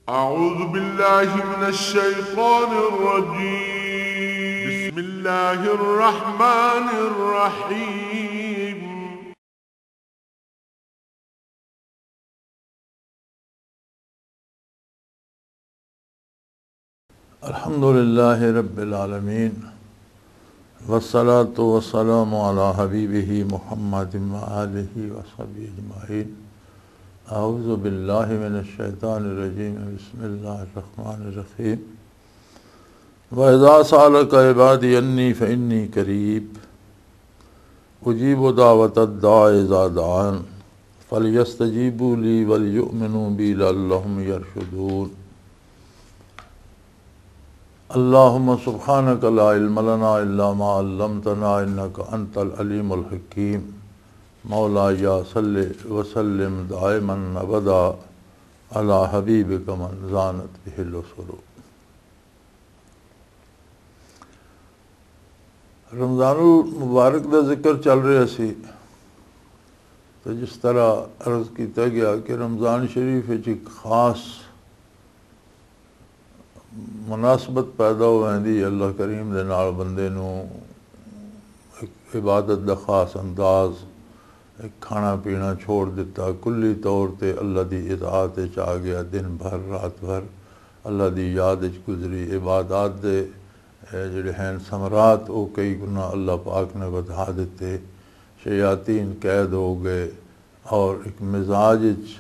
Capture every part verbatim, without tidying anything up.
أعوذ بالله من الشيطان الرجيم. بسم الله الرحمن الرحيم. الحمد لله رب العالمين، والصلاة والسلام على حبيبه محمد وآله وصحبه أجمعين. أعوذ بالله من الشيطان الرجيم. بسم الله الرحمن الرحيم. وإذا سألك عبادي عني فإني قريب أجيب دعوة الداع إذا دعان فليستجيبوا لي وليؤمنوا بي لعلهم يرشدون. اللهم سبحانك لا علم لنا إلا ما علمتنا إنك أنت العليم الحكيم. مولاي صل وسلم دائما أبدا على حبيبك من زانت به الأسر. رمضان المبارک دا ذکر چل رہا سی، تو جس طرح عرض کیتا گیا کہ رمضان شریف وچ ایک خاص مناسبت پیدا ہو ویندی ہے، اللہ کریم دے نال بندے نوں ایک عبادت دا خاص انداز، ایک کھانا پینا چھوڑ دتا، کلی طور تے اللہ دی اطاعت وچ آ گیا، دن بھر رات بھر اللہ دی یاد وچ گزری۔ عبادات دے، اے، جڑے ہیں ثمرات، او کئی گنا اللہ پاک نے ودھا دتے۔ شیاطین قید ہو گئے اور ایک مزاج وچ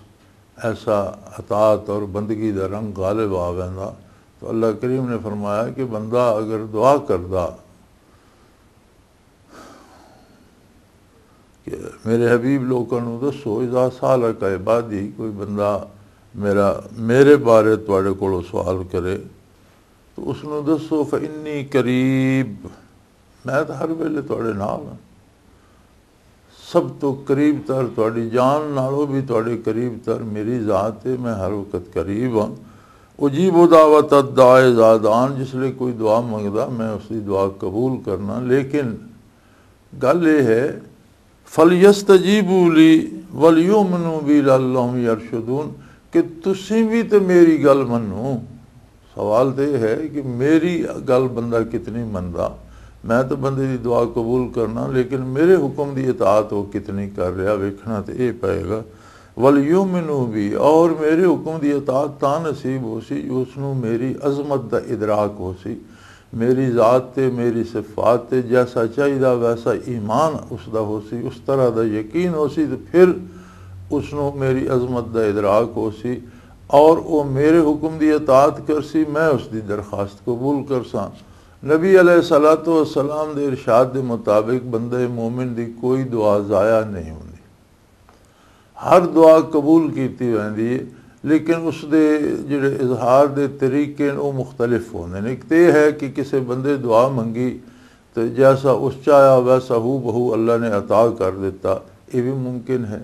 ایسا اطاعت اور بندگی دا رنگ غالب آ ویندا۔ تو اللہ کریم نے فرمایا کہ بندہ اگر دعا کردا کہ میرے حبیب لوکاں نوں دسو، اذا سالک عبادی، کوئی بندہ میرا، میرے بارے تواڈے کولوں سوال کرے، تو اس نوں دسو، فانی قریب، میں تو ہر ویلے تواڈے نال ہاں۔ سب تو قریب تر، تہاڈی جان نالوں بھی تہاڈے قریب تر میری ذات ہے، میں ہر وقت قریب ہاں۔ اجیب دعوت الداع اذا دعان، جس لئے کوئی دعا منگدا، میں اس دی دعا قبول کرنا۔ لیکن گل یہ ہے، فَلْيَسْتَجِيبُوا لِي وَلْيُؤْمِنُوا بِي لَعَلَّهُمْ يَرْشُدُونَ، کہ تسی بھی تے میری گل منو۔ سوال تے یہ ہے کہ میری گل بندہ کتنی مندا؟ میں تو بندے دی دعا قبول کرنا، لیکن میرے حکم دی اطاعت وہ کتنی کر رہا، ویکھنا تے یہ پئے گا۔ وَلْيُؤْمِنُوا بِي، اور میرے حکم دی اطاعت تاں نصیب ہو سی جو اس نوں میری عظمت دا ادراک ہو سی، میری ذات تے، میری صفات تے جیسا چاہیدا ویسا ایمان اس دا ہو سی، اس طرح دا یقین ہو سی، تے پھر اس نوں میری عظمت دا ادراک ہو سی اور او میرے حکم دی اطاعت کر سی، میں اس دی درخواست قبول کر ساں۔ نبی علیہ الصلوۃ والسلام دے ارشاد دے مطابق بندے مومن دی کوئی دعا ضائع نہیں ہوندی، ہر دعا قبول کیتی ویندی ہے، لیکن اس دے جڑے اظہار دے طریقے نے، وہ مختلف ہوندے نے۔ ایک تے ہے کہ کسے بندے دعا منگی تو جیسا اس چاہیا ویسا ہو بہو اللہ نے عطا کر دیتا، یہ بھی ممکن ہے۔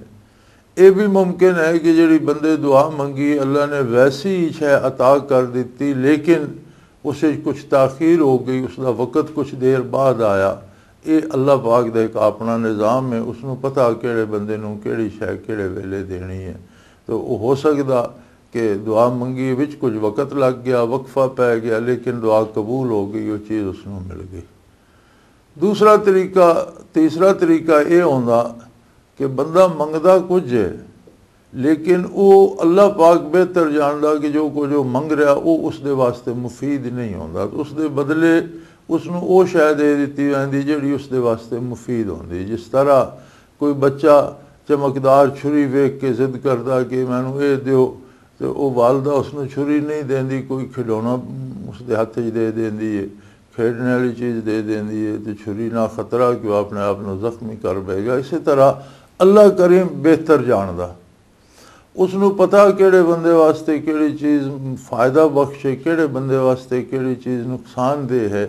یہ بھی ممکن ہے کہ جڑی بندے دعا منگی، اللہ نے ویسی ہی شے عطا کر دیتی، لیکن اس وچ کچھ تاخیر ہو گئی، اس دا وقت کچھ دیر بعد آیا۔ یہ اللہ پاک دا ایک اپنا نظام ہے، اس نوں پتہ کہڑے بندے نوں کہڑی شے کہڑے ویلے دینی ہے۔ تو وہ ہو سکدا کہ دعا منگی وچ کچھ وقت لگ گیا، وقفہ پے گیا، لیکن دعا قبول ہو گئی، وہ چیز اس نوں مل گئی۔ دوسرا طریقہ، تیسرا طریقہ یہ ہوندا کہ بندہ منگدا کچھ ہے، لیکن وہ اللہ پاک بہتر جاندا کہ جو کچھ وہ منگ رہا، وہ اس دے واسطے مفید نہیں ہوندا۔ تو اس دے بدلے اس نوں وہ شے دے دتی ویندی جڑی اس دے واسطے مفید ہوندی۔ جس طرح کوئی بچہ چمکدار چھری ویکھ کے ضد کردا کہ مینوں اے دیو، تے او والدہ اس نوں چھری نہیں دیندی، کوئی کھڈونا اس دے ہاتھ وچ دے دیندی ہے، کھیڈنے والی چیز دے دیندی ہے، تے چھری نہ خطرہ کہ وہ اپنے آپ نوں زخمی کر بہے گا۔ اسی طرح اللہ کریم بہتر جاندا، اس نوں پتہ کہڑے بندے واسطے کہڑی چیز فائدہ بخش ہے، کہڑے بندے واسطے کہڑی چیز نقصان دہ ہے۔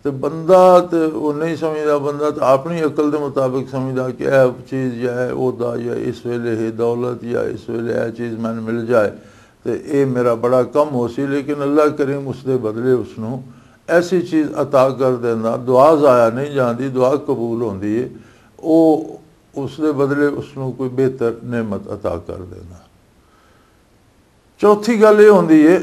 تے بندہ تے وہ نہیں سمجھدا، بندہ تے اپنی عقل دے مطابق سمجھدا کہ اے چیز یا اے عہدہ یا اس ویلے ہے دولت یا اس ویلے اے چیز مینوں مل جائے تے اے میرا بڑا کم ہو سی، لیکن اللہ کریم اس دے بدلے اس نوں ایسی چیز عطا کر دیندا۔ دعا ضائع نہیں جاندی، دعا قبول ہوندی ہے۔ او اس دے بدلے اس نوں کوئی بہتر نعمت عطا کر دیندا۔ چوتھی گل یہ ہوندی ہے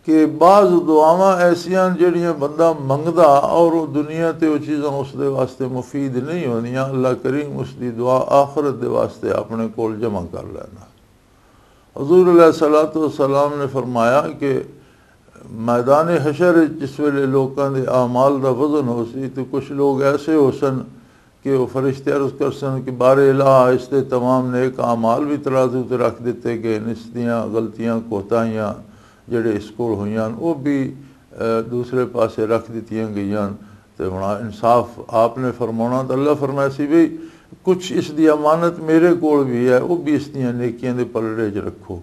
کہ بعض دعاواں ایسیاں جڑیاں بندہ منگدا اور وہ دنیا تے وہ چیزاں اس دے واسطے مفید نہیں ہوندیاں، اللہ کریم اس دی دعا آخرت دے واسطے اپنے کول جمع کر لینا۔ حضور علیہ الصلوۃ والسلام نے فرمایا کہ میدان حشر وچ جس ویلے لوکاں دے اعمال دا وزن ہو سی، تو کچھ لوگ ایسے ہو سن کہ وہ فرشتے عرض کر سن کہ بار الہ، اس دے تمام نیک اعمال بھی ترازو تے رکھ دتے گئے، اس دیاں غلطیاں، کوتاہیاں جڑے اس کول ہوئیاں، وہ بھی، اے، دوسرے پاسے رکھ دتیاں گئیاں۔ تے ہن انصاف آپ نے فرمانا، تے اللہ فرمایا سی، بھئی، کچھ اس دی امانت میرے کول بھی ہے، وہ بھی اس دیاں نیکیاں دے پلڑے چ رکھو۔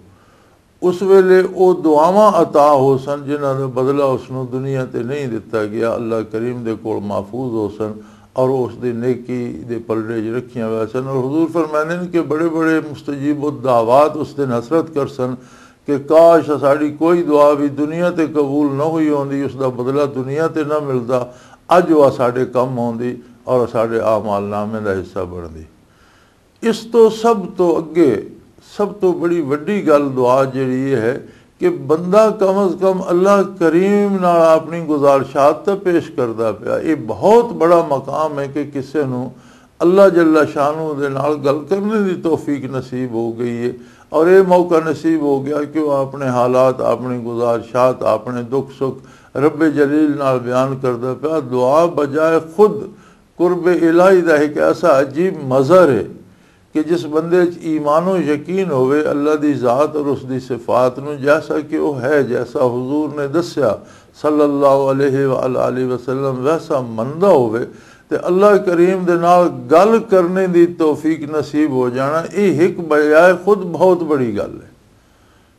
اس ویلے او دعاواں عطا ہو سن، جنہاں دا بدلہ اس نوں دنیا تے نہیں دتا گیا، اللہ کریم دے کول محفوظ ہو سن اور اس دی نیکی دے پلڑے وچ رکھیاں ہوئے سن۔ اور حضور فرماندے نے کہ بڑے بڑے مستجیب الدعوات اس دن حسرت کر سن کہ کاش ساڈی کوئی دعا بھی دنیا تے قبول نہ ہوئی ہوندی، اس دا بدلہ دنیا تے نہ ملدا، اج وہ ساڈے کم ہوندی اور ساڈے اعمال نامے دا حصہ بندی۔ اس تو سب تو اگے، سب تو بڑی وڈی گل دعا جڑی یہ ہے کہ بندہ کم از کم اللہ کریم نال اپنی گزارشات تے پیش کردا پیا۔ یہ بہت بڑا مقام ہے کہ کسے نو اللہ جل شانہ دے نال گل کرنے دی توفیق نصیب ہو گئی ہے، اور یہ موقع نصیب ہو گیا کہ وہ اپنے حالات، اپنی گزارشات، اپنے دکھ سکھ رب جلیل نال بیان کردا پیا۔ دعا بجائے خود قرب الہی دا ایک ایسا عجیب مظہر ہے کہ جس بندے چ ایمان و یقین ہوئے اللہ دی ذات اور اس دی صفات نو، جیسا کہ وہ ہے، جیسا حضور نے دسیا صلی اللہ علیہ وآلہ وسلم، ویسا مندا ہوئے، تے اللہ کریم دے نال گل کرنے دی توفیق نصیب ہو جانا، یہ ایک بجائے خود بہت بڑی گل ہے۔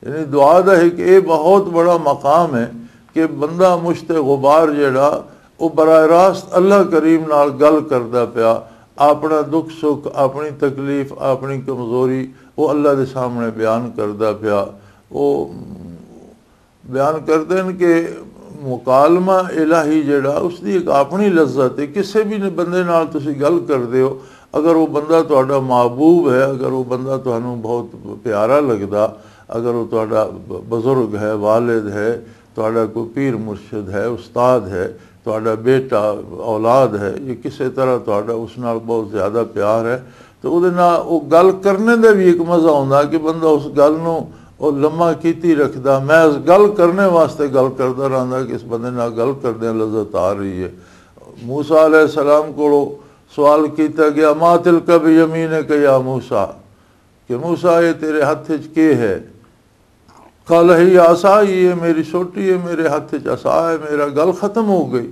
یعنی دعا دا ایک یہ بہت بڑا مقام ہے کہ بندہ مشت غبار جڑا، وہ براہ راست اللہ کریم نال گل کردا پیا، اپنا دکھ سکھ، اپنی تکلیف، اپنی کمزوری وہ اللہ دے سامنے بیان کردا پیا۔ وہ بیان کردے ہیں کہ مکالمہ الہی جڑا، اس دی ایک اپنی لذت ہے۔ کسے بھی بندے نال تسی گل کردے ہو، اگر وہ بندہ تہاڈا محبوب ہے، اگر وہ بندہ تہانوں بہت پیارا لگدا، اگر وہ تہاڈا بزرگ ہے، والد ہے، تہاڈا کوئی پیر مرشد ہے، استاد ہے، تہاڈا بیٹا، اولاد ہے، یہ کسے طرح تہاڈا اس نال بہت زیادہ پیار ہے، تو او دے نال او گل کرنے دا بھی ایک مزہ ہوندا کہ بندہ اس گل نوں او لمحہ کیتی رکھدا، محض گل کرنے واسطے گل کردا رہندا کہ اس بندے نال گل کردیاں لذت آ رہی ہے۔ موسیٰ علیہ السلام کولوں سوال کیتا گیا، "ما تلک بیمینک یا موسیٰ"، کہ موسیٰ، یہ تیرے ہتھ وچ کی ہے؟ قال، "ہی عصای، یہ میری سوٹی ہے، میرے ہتھ وچ عصا ہے"، میرا گل ختم ہو گئی۔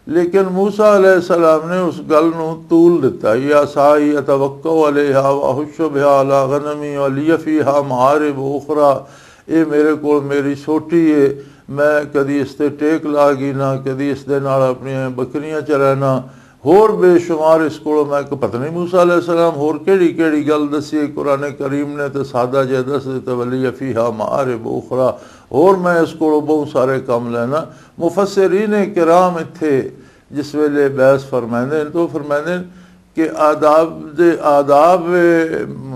لیکن موسیٰ علیہ السلام نے اس گل نو طول دتا، "یہ عصای اتوکا علیہا واحش بہا علی غنمی ولی فیہا معارب اخری"، یہ میرے کول میری سوٹی ہے، میں کدی اس تے ٹیک لا گینا، کدی اس دے نال اپنی بکریاں چرانا، ہور بے شمار اس کولوں میں کہ پتہ نہیں موسیٰ علیہ السلام ہور کیڑی کیڑی گل دسی ہے۔ قرآن کریم نے تے سادہ جے دس دتا، "ولی فیہا معارب اخری"، ہور میں اس کولوں بہت سارے کم لینا۔ مفسرین کرام اتھے جس ویلے بحث فرمائندے ہیں تو فرمائندے ہیں کہ آداب دے، آداب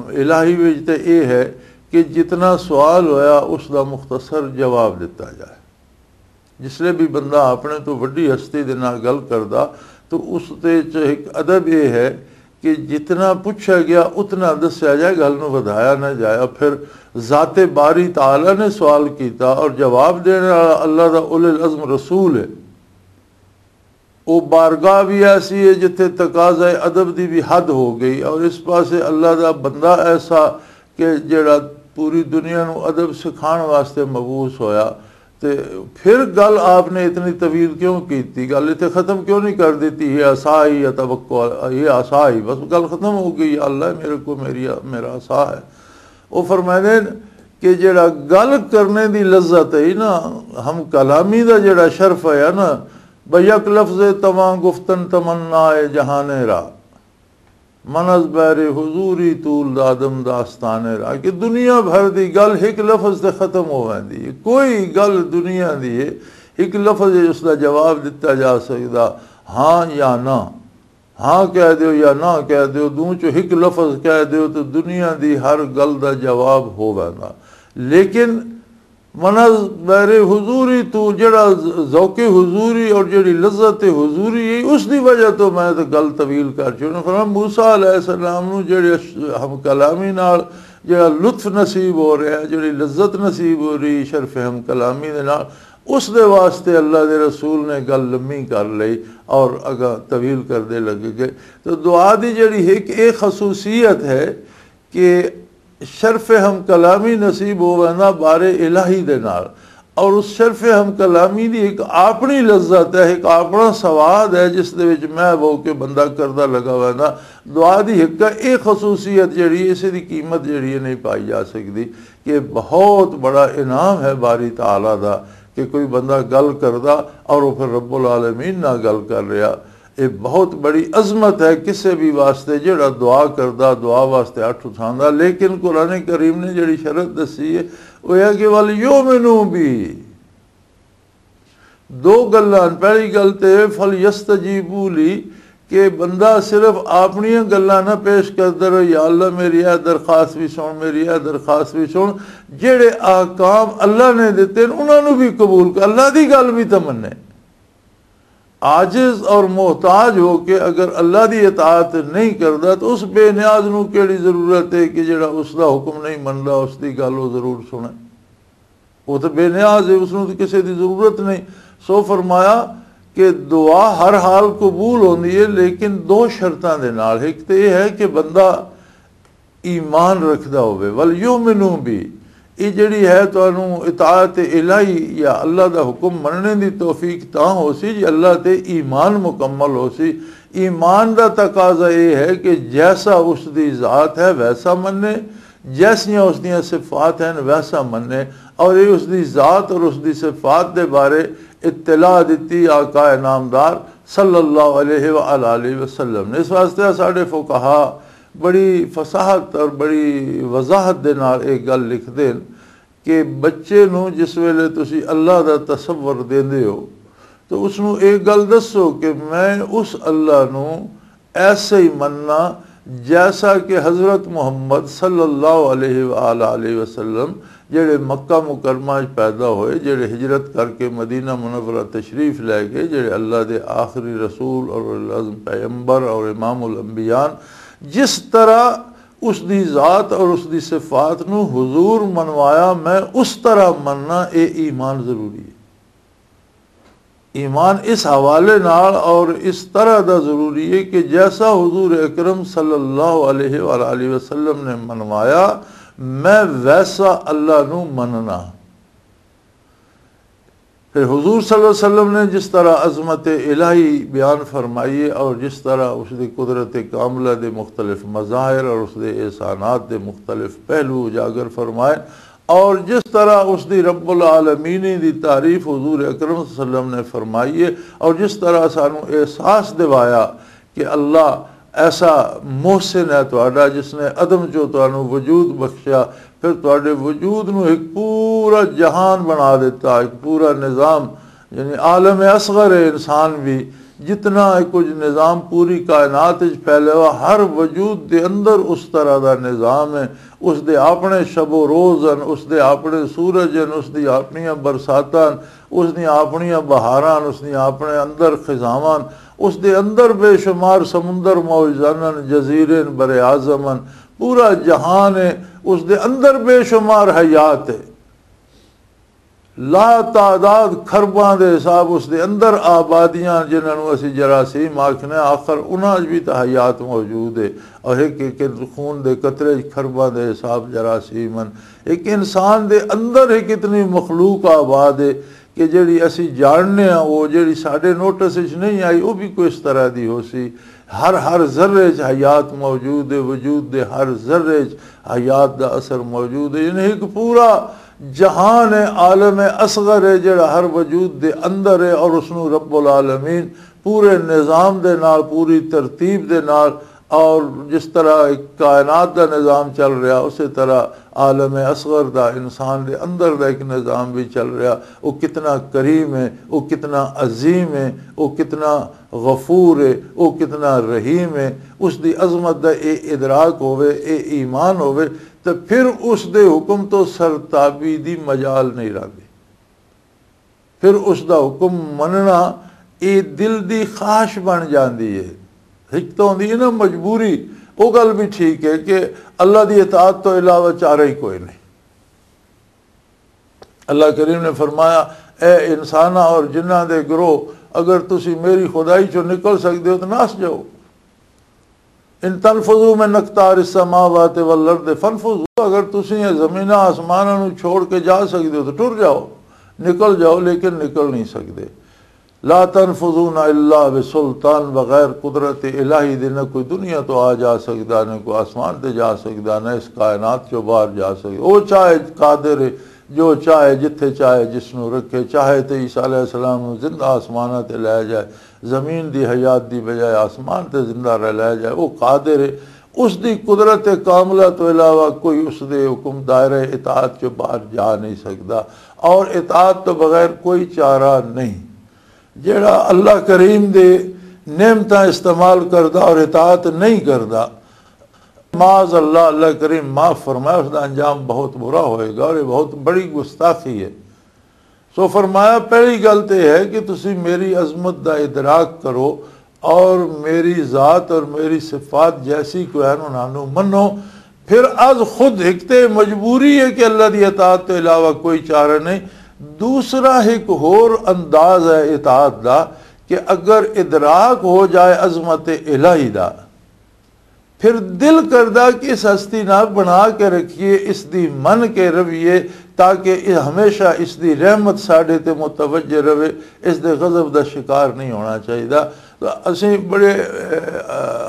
الہی وچ تے اے ہے کہ جتنا سوال ہویا اس دا مختصر جواب دتا جائے۔ جس لئے بھی بندہ اپنے تو وڈی ہستی دے نال گل کردا تو اس دے چ ایک ادب یہ ہے کہ جتنا پوچھا گیا اتنا دسیا جائے، گل نو ودھایا نہ جایا۔ پھر ذات باری تعالیٰ نے سوال کیتا اور جواب دینے والا اللہ دا اول العزم رسول ہے۔ وہ بارگاہ بھی ایسی ہے جتھے تقاضۂ ادب دی بھی حد ہو گئی، اور اس پاسے اللہ دا بندہ ایسا کہ جڑا پوری دنیا نو ادب سکھان واسطے مبعوث ہویا، تے پھر گل آپ نے اتنی طویل کیوں کیتی؟ گل اتنے ختم کیوں نہیں کر دیتی؟ یہ عصا ہی اتوکل، یہ عصا ہی، بس گل ختم ہو گئی، اللہ میرے کو، میری، میرا عصا ہے۔ وہ فرمائے کہ جڑا گل کرنے دی لذت ہے نا، ہم کلامی دا جڑا شرف ہے نا، بھئی یک لفظ تواں گفتن تمنا ہے جہان را، من از بحر حضوری طول دادم داستان را، کہ دنیا بھر دی گل ایک لفظ تے ختم ہو ویندی ہے۔ کوئی گل دنیا دی ہے، ایک لفظ اس دا جواب دتا جا سکدا، ہاں یا نہ۔ ہاں کہہ دیو یا نہ کہہ دیو، دوں چوں ہک لفظ کہہ دیو تے دنیا دی ہر گل دا جواب ہو ویندا۔ لیکن منا بیر حضوری تو جڑا ذوق حضوری اور جڑی لذت حضوری ہے، اس دی وجہ تو میں تے گل طویل کر چھوڑنا۔ فرمایا، موسیٰ علیہ السلام نو جڑے ہم کلامی نال جڑا لطف نصیب ہو رہا ہے، جڑی لذت نصیب ہو رہی شرف ہم کلامی دے نال، اس دے واسطے اللہ دے رسول نے گل لمبی کر لئی اور اگا طویل کردے لگے گئے۔ تو دعا دی جڑی ایک اے خصوصیت ہے کہ شرف ہم کلامی نصیب ہو وینا بارے الہی دے نال، اور اس شرف ہم کلامی دی ایک اپنی لذت ہے، ایک اپنا سواد ہے، جس دے وچ میں وہ کہ بندہ کردہ لگا وینا۔ دعا دی ایک اے خصوصیت جڑی ہے، اسے دی قیمت جڑی ہے نہیں پائی جا سکتی۔ کہ بہت بڑا انعام ہے باری تعالیٰ دا، کہ کوئی بندہ گل کردا اور وہ پھر رب العالمین نہ گل کر رہا۔ یہ بہت بڑی عظمت ہے کسے بھی واسطے، جڑا دعا کردا، دعا واسطے اٹھ اٹھاندا۔ لیکن قرآن کریم نے جڑی شرط دسی ہے، وہ یہ کہ وَلْيُؤْمِنُوا بِي، دو گلاں۔ پہلی گل تے فَلْيَسْتَجِيبُوا لِي، کہ بندہ صرف اپنیاں گلاں نہ پیش کردا رہے، یا اللہ میری اے درخواست بھی سن، میری اے درخواست بھی سن۔ جڑے احکام اللہ نے دتے ہیں، انہاں نوں بھی قبول کر، اللہ دی گل بھی تے منے۔ عاجز اور محتاج ہو کے اگر اللہ دی اطاعت نہیں کردا تو اس بے نیاز نوں کیڑی ضرورت ہے کہ جڑا اس دا حکم نہیں مندا، اس دی گل وہ ضرور سنے؟ وہ تو بے نیاز ہے، اس نوں تو کسے دی ضرورت نہیں۔ سو فرمایا کہ دعا ہر حال قبول ہوندی ہے، لیکن دو شرطاں دے نال۔ ایک تے یہ ہے کہ بندہ ایمان رکھدا ہوے، وَلْيُؤْمِنُوا بِي۔ یہ جڑی ہے تانوں اطاعت الہی یا اللہ دا حکم مننے دی توفیق تاں ہو سی جی اللہ تے ایمان مکمل ہو سی۔ ایمان دا تقاضا یہ ہے کہ جیسا اس دی ذات ہے ویسا مننے، جیسیاں اس دیاں صفات ہیں ویسا مننے، اور یہ اس دی ذات اور اس دی صفات دے بارے اطلاع دتی آقا نامدار صلی اللہ علیہ وآلہ وسلم نے۔ اس واسطے ساڈے فقہا بڑی فصاحت اور بڑی وضاحت دے نال ایک گل لکھدے ہیں کہ بچے نوں جس ویلے تسی اللہ دا تصور دیندے ہو تو اس نوں ایک گل دسو کہ میں اس اللہ نوں ایسے ہی مننا جیسا کہ حضرت محمد صلی اللہ علیہ وآلہ وسلم جڑے مکہ مکرمہ وچ پیدا ہوئے، جڑے ہجرت کر کے مدینہ منورہ تشریف لے گئے، جڑے اللہ دے آخری رسول اور اولوالعزم پیغمبر اور امام الانبیاء، جس طرح اس دی ذات اور اس دی صفات نو حضور منوایا، میں اس طرح مننا، اے ایمان ضروری ہے۔ ایمان اس حوالے نال اور اس طرح دا ضروری ہے کہ جیسا حضور اکرم صلی اللہ علیہ وآلہ وسلم نے منوایا، میں ویسا اللہ نو مننا۔ پھر حضور صلی اللہ علیہ وسلم نے جس طرح عظمت الہی بیان فرمائی ہے اور جس طرح اس دی قدرت کاملہ دے مختلف مظاہر اور اس دے احسانات دے مختلف پہلو اجاگر فرمائے، اور جس طرح اس دی رب العالمین دی تعریف حضور اکرم صلی اللہ علیہ وسلم نے فرمائی ہے، اور جس طرح سانو احساس دوایا کہ اللہ ایسا محسن ہے تہاڈا جس نے عدم چوں تانوں وجود بخشیا، پھر تہاڈے وجود نو ایک پورا جہان بنا دیتا، ایک پورا نظام، یعنی عالم اصغر ہے انسان بھی، جتنا کچھ نظام پوری کائنات وچ پھیلے ہوا، ہر وجود دے اندر اس طرح دا نظام ہے۔ اس دے اپنے شب و روز ہیں، اس دے اپنے سورج ہیں، اس دی اپنیاں برساتاں، اس دیاں اپنیاں بہاراں، اس دیاں اپنے اندر خزاواں، اس دے اندر بے شمار سمندر موجزن، جزیرے، بر اعظم، پورا جہان ہے، اس دے اندر بے شمار حیات ہے۔ لا تعداد خرباں دے حساب اس دے اندر آبادیاں، جنہاں نوں اسی جراثیم آکھنے، آخر انہاں وچ بھی تاں حیات موجود ہے۔ اور ایک ایک خون دے قطرے وچ خرباں دے حساب جراثیم ہن۔ ایک انسان دے اندر ہی کتنی مخلوق آباد ہے کہ جڑی اسی جاننے ہاں، وہ جڑی ساڈے نوٹس وچ نہیں آئی، وہ بھی کوئی اس طرح دی ہو سی۔ ہر، ہر ذرے چ حیات موجود ہے، وجود دے ہر ذرے چ حیات دا اثر موجود ہے۔ یعنی ایک پورا جہان ہے، عالم اصغر ہے، جڑا ہر وجود دے اندر ہے، اور اس نوں رب العالمین پورے نظام دے نال، پوری ترتیب دے نال اور جس طرح ایک کائنات دا نظام چل رہا، اسی طرح عالم اصغر دا، انسان دے اندر دا ایک نظام بھی چل رہا۔ وہ کتنا کریم ہے، وہ کتنا عظیم ہے، وہ کتنا غفور ہے، وہ کتنا رحیم ہے۔ اس دی عظمت دا اے ادراک ہوئے، اے ایمان ہوئے، تو پھر اس دے حکم تو سرتابی دی مجال نہیں رہندی۔ پھر اس دا حکم مننا، اے دل دی خواہش بن جاندی ہے۔ ہک تو ہوندی ہے نا مجبوری، وہ گل بھی ٹھیک ہے کہ اللہ دی اطاعت تو علاوہ چارہ ہی کوئی نہیں۔ اللہ کریم نے فرمایا، اے انساناں اور جنہاں دے گروہ، اگر تسی میری خدائی چوں نکل سکدے ہو تو نس جاؤ۔ ان تنفذوا من اقطار السماوات والارض فانفذوا، اگر تسی یہ زمیناں آسماناں نو چھوڑ کے جا سکدے ہو تو ٹر جاؤ، نکل جاؤ، لیکن نکل نہیں سکدے۔ لا تنفذون الا بسلطان، بغیر قدرت الہی دے نہ کوئی دنیا تو آ جا سکدا، نہ کوئی آسمان تے جا سکدا، نہ اس کائنات چوں باہر جا سکدا۔ وہ چاہے قادر ہے، جو چاہے جتھے چاہے جس نو رکھے، چاہے تے عیسیٰ علیہ السلام نو زندہ آسماناں تے لے جائے، زمین دی حیات دی بجائے آسمان تے زندہ رہ لے جائے، وہ قادر ہے۔ اس دی قدرت کاملہ تو علاوہ کوئی اس دے حکم دائرہ اطاعت چوں باہر جا نہیں سکدا، اور اطاعت تو بغیر کوئی چارہ نہیں۔ جڑا اللہ کریم دے نعمتاں استعمال کردا اور اطاعت نہیں کردا، معاذ اللہ، اللہ کریم معاف فرمائے، اس دا انجام بہت برا ہوئے گا اور یہ بہت بڑی گستاخی ہے۔ سو فرمایا، پہلی گل تے ہے کہ تسی میری عظمت دا ادراک کرو اور میری ذات اور میری صفات جیسی کوئی ہیں انہاں نوں منو۔ پھر از خود ایک تے مجبوری ہے کہ اللہ دی اطاعت تو علاوہ کوئی چارہ نہیں۔ دوسرا ایک ہور انداز ہے اطاعت دا کہ اگر ادراک ہو جائے عظمت الہی دا، پھر دل کردا کہ اس ہستی نہ بنا کے رکھیے، اس دی من کے رویے، تاکہ یہ ہمیشہ اس دی رحمت ساڈے تے متوجہ رہے، اس دے غضب دا شکار نہیں ہونا چاہیے۔ تو اسیں بڑے، اے،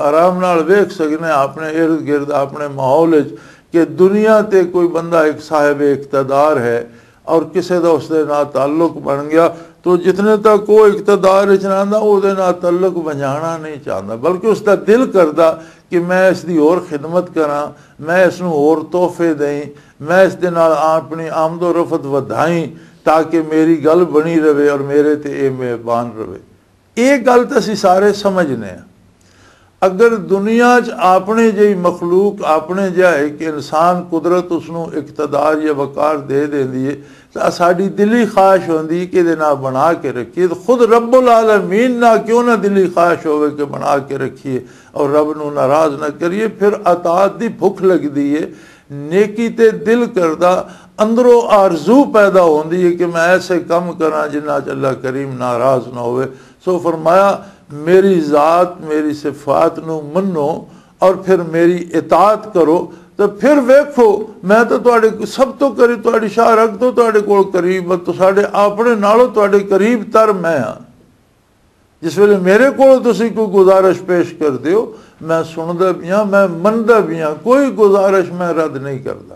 آرام نال ویکھ سکنے اپنے ارد گرد، اپنے ماحول وچ کہ دنیا تے کوئی بندہ ایک صاحب اقتدار ہے، اور کسے دا اس دے نال تعلق بن گیا، تو جتنے تک وہ اقتدار وچ رہندا، او دے نال تعلق بنجانا نہیں چاہندا، بلکہ اس دا دل کردا کہ میں اس دی ہور خدمت کراں، میں اس نوں ہور تحفے دئیں، میں اس دے نال اپنی آمد و رفت ودھائیں، تاکہ میری گل بنی رہے اور میرے تے اے مہربان رہے۔ یہ گل تو اسی سارے سمجھنے ہیں۔ اگر دنیا چ اپنے جہی مخلوق، اپنے جہا ایک انسان، قدرت اس نو اقتدار یا وقار دے دیندی ہے، تو ساڈی دلی خواہش ہوندی کہ دے نہ بنا کے رکھیے۔ تو خود رب العالمین نہ کیوں نہ دلی خواہش ہوئے کہ بنا کے رکھیے اور رب نو ناراض نہ کریے۔ پھر اطاعت دی بھکھ لگدی ہے، نیکی تے دل کردا، اندروں آرزو پیدا ہوندی ہے کہ میں ایسے کم کراں جنہاں چ اللہ کریم ناراض نہ ہوئے۔ سو فرمایا، میری ذات، میری صفات نو منو اور پھر میری اطاعت کرو، تو پھر ویکھو، میں تو تواڈے سب تو قریب، تواڈی شاہ رگ تو تواڈے کول قریب، تو ساڈے اپنے نالوں تواڈے قریب تر میں ہاں۔ جس ویلے میرے کول تسی کوئی گزارش پیش کر دیو، میں سندا بھی ہاں، میں مندا بھی ہاں، کوئی گزارش میں رد نہیں کردا۔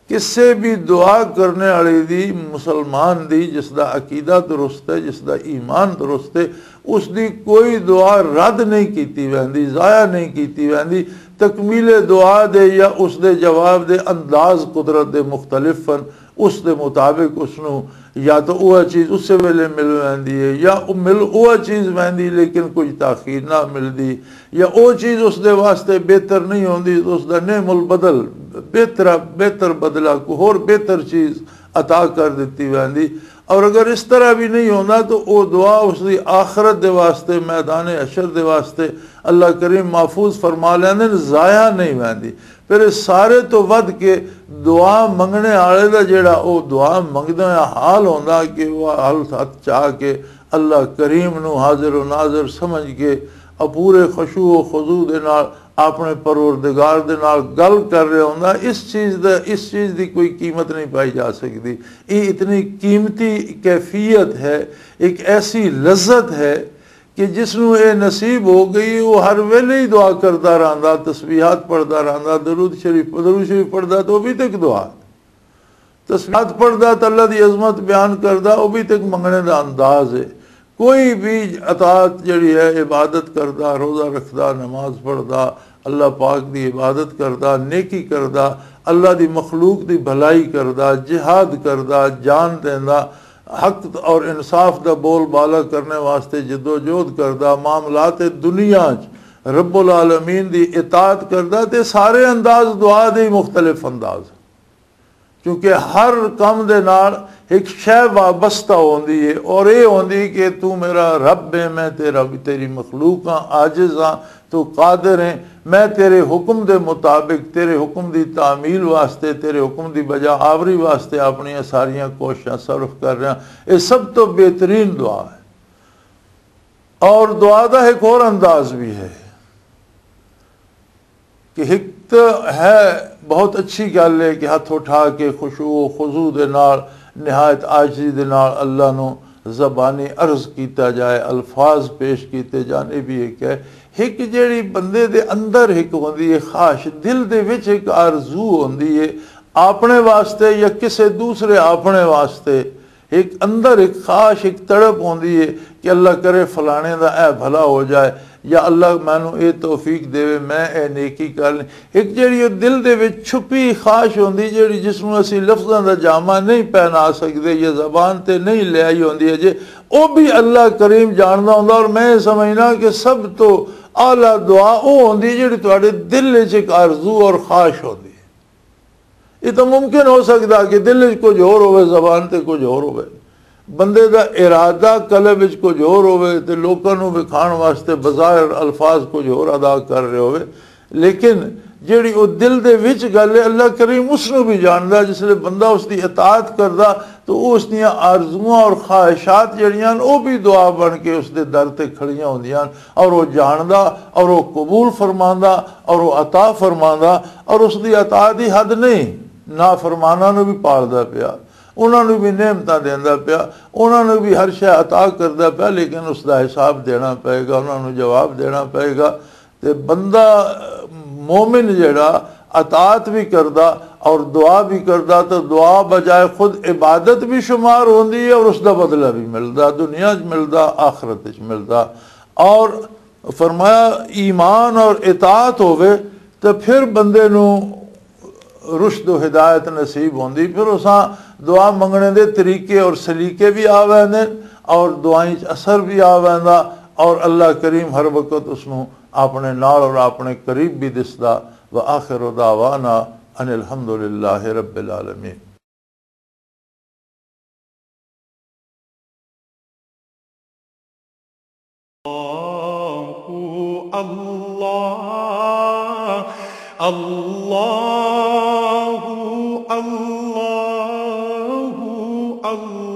کسے بھی دعا کرنے والے دی، مسلمان دی، جس دا عقیدہ درست ہے، جس دا ایمان درست ہے، اس دی کوئی دعا رد نہیں کیتی ویندی، ضائع نہیں کیتی ویندی۔ تکمیل دعا دے یا اس دے جواب دے انداز قدرت دے مختلف ہن۔ اس دے مطابق اس نو یا تو وہ چیز اسے ویلے مل ویندی ہے، یا او مل وہ چیز ویندی لیکن کچھ تاخیر نہ ملدی، یا او چیز اس دے واسطے بہتر نہیں ہوندی، تو اس دا نعم البدل، بہتر، بہتر بدلہ، کوئی ہور بہتر چیز عطا کر دتی ویندی۔ اور اگر اس طرح بھی نہیں ہوندا تو او دعا اس دی آخرت دے واسطے، میدان حشر دے واسطے اللہ کریم محفوظ فرما لیندے نے، ضائع نہیں ویندی۔ پھر اس سارے تو ودھ کے دعا منگنے والے دا جڑا او دعا منگدا ہے حال ہوندا کہ وہ حال ہتھ چا کے اللہ کریم نو حاضر و ناظر سمجھ کے، اور پورے خشوع و خضوع دے نال اپنے پروردگار دے نال گل کر رہا ہوندا۔ اس چیز دا، اس چیز دی کوئی قیمت نہیں پائی جا سکدی۔ یہ اتنی قیمتی کیفیت ہے، ایک ایسی لذت ہے کہ جس نو یہ نصیب ہو گئی، وہ ہر ویلے ہی دعا کردا رہندا، تسبیحات پڑھدا رہندا، درود شریف، درود شریف پڑھدا تو وہ بھی تک دعا۔ تسبیحات پڑھدا تے اللہ دی عظمت بیان کردا، او بھی تے ایک منگنے دا انداز ہے۔ کوئی بھی اطاعت جڑی ہے، عبادت کردا، روزہ رکھدا، نماز پڑھدا، اللہ پاک دی عبادت کردا، نیکی کردا، اللہ دی مخلوق دی بھلائی کردا، جہاد کردا، جان دیندا، حق اور انصاف دا بول بالا کرنے واسطے جدوجہد کردا، معاملات دنیا چ رب العالمین دی اطاعت کردا، تے سارے انداز دعا دے ہی مختلف انداز۔ کیونکہ ہر کم دے نال ایک شے وابستہ ہوندی ہے، اور اے ہوندی کہ تو میرا رب ہے، میں تیرا، تیری مخلوق ہاں، عاجز ہاں، تو قادر ہے۔ میں تیرے حکم دے مطابق، تیرے حکم دی تعمیل واسطے، تیرے حکم دی بجا آوری واسطے اپنی ساریاں کوششاں صرف کر رہا۔ یہ سب تو بہترین دعا ہے۔ اور دعا دا ایک اور انداز بھی ہے کہ ایک تو ہے، بہت اچھی گل ہے کہ ہاتھ اٹھا کے خشوع و خضوع دے نال، نہایت عاجزی دے نال اللہ نو زبانی عرض کیتا جائے، الفاظ پیش کیتے جان، یہ بھی ایک ہے۔ ایک جیڑی بندے دے اندر ایک ہوندی ہے خواہش، دل دے وچ ایک آرزو ہوندی ہے اپنے واسطے یا کسے دوسرے اپنے واسطے، ایک اندر ایک خواہش، ایک تڑپ ہوندی ہے کہ اللہ کرے فلانے دا اے بھلا ہو جائے، یا اللہ مینوں اے توفیق دے، میں اے نیکی کر لیں۔ ایک جیڑی او دل دے وچ چھپی خواہش ہوندی، جیڑی جس نوں اسی لفظاں دا جامہ نہیں پہنا سکدے یا زبان تے نہیں لے آئی ہوندی اجے، او بھی اللہ کریم جاندا ہوندا۔ اور میں سمجھنا کہ سب تو اعلیٰ دعا او ہوندی جیڑی تواڈے دل وچ ایک آرزو اور خواہش ہوندی۔ یہ تو ممکن ہو سکدا کہ دل وچ کچھ ہور ہوے، زبان تے کچھ ہور ہوے، بندے دا ارادہ قلب وچ کچھ ہور ہوے تے لوکاں نوں وکھان واسطے بظاہر الفاظ کچھ ہور ادا کر رہے ہوے، لیکن جیڑی او دل دے وچ گل ہے، اللہ کریم اس نوں بھی جاندا۔ جس لے بندہ اس دی اطاعت کردا تو او اس دیاں آرزواں اور خواہشات جیڑیاں ہن، او بھی دعا بن کے اس دے در تے کھڑیاں ہوندیاں ہن، اور او جاندا اور او قبول فرماندا اور او عطا فرماندا، اور اس دی عطا دی حد نہیں۔ نافرماناں نوں بھی پالدا پیا، انہاں نوں بھی نعمتاں دیندا پیا، انہاں نوں بھی ہر شے عطا کردا پیا، لیکن اس دا حساب دینا پئے گا، انہاں نوں جواب دینا پئے گا۔ تے بندہ مومن جڑا اطاعت بھی کردا اور دعا بھی کردا، تو دعا بجائے خود عبادت بھی شمار ہوندی ہے اور اس دا بدلہ بھی ملدا، دنیا چ ملدا، آخرت چ ملدا۔ اور فرمایا، ایمان اور اطاعت ہووے تو پھر بندے نوں رشد و ہدایت نصیب ہوندی۔ پھر اساں دعا منگنے دے طریقے اور سلیقے بھی آ ویندے اور دعائیں چ اثر بھی آ ویندا، اور اللہ کریم ہر وقت اس نوں اپنے نال اور اپنے قریب بھی دسدا۔ وآخر دعوانا ان الحمدللہ رب العالمین۔ اللہ، اللہ، اللہ، اللہ۔